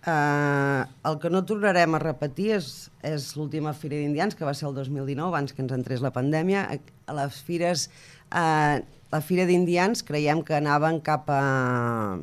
El que no tornarem a repetir és l'última Fira d'Indians, que va ser el 2019, abans que ens entrés la pandèmia. A les fires, la Fira d'Indians creiem que anaven cap a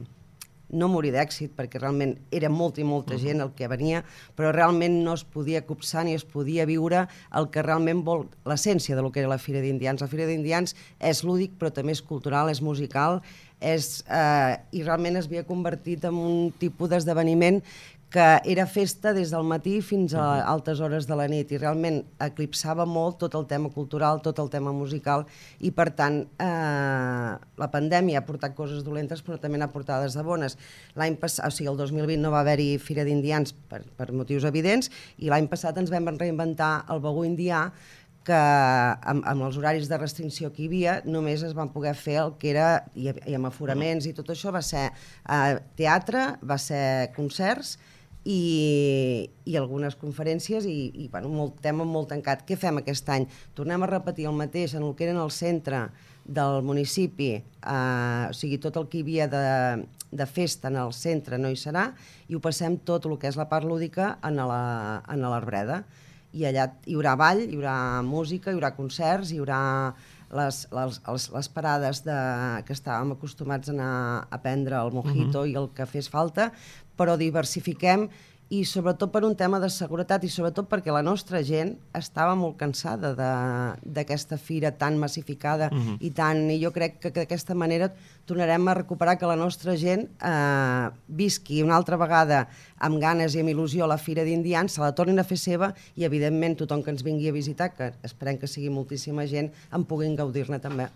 no morir d'èxit, perquè realment era molta i molta gent el que venia, però realment no es podia copsar ni es podia viure el que realment vol, l'essència del que era la Fira d'Indians. La Fira d'Indians és lúdic, però també és cultural, és musical, i realment es havia convertit en un tipus d'esdeveniment que era festa des del matí fins a altes hores de la nit i realment eclipsava molt tot el tema cultural, tot el tema musical i per tant la pandèmia ha portat coses dolentes però també n'ha portades de bones. L'any passat, o sigui el 2020 no va haver-hi Fira d'Indians per motius evidents i l'any passat ens vam reinventar el Begú Indià que amb els horaris de restricció que hi havia només es van poder fer el que era, i amb aforaments i tot això, va ser teatre, va ser concerts i algunes conferències i bueno, molt tema molt tancat. Què fem aquest any? Tornem a repetir el mateix en el que era en el centre del municipi, o sigui, tot el que hi havia de festa en el centre no hi serà i ho passem tot el que és la part lúdica a l'Arbreda. I allà hi haurà ball, hi haurà música, hi haurà concerts, hi haurà les parades que estàvem acostumats a anar a prendre el mojito i el que fes falta, però diversifiquem i sobretot per un tema de seguretat i sobretot perquè la nostra gent estava molt cansada d'aquesta fira tan massificada i jo crec que d'aquesta manera tornarem a recuperar que la nostra gent visqui una altra vegada amb ganes i amb il·lusió a la Fira d'Indians, se la tornin a fer seva i evidentment tothom que ens vingui a visitar, que esperem que sigui moltíssima gent, en puguin gaudir-ne també.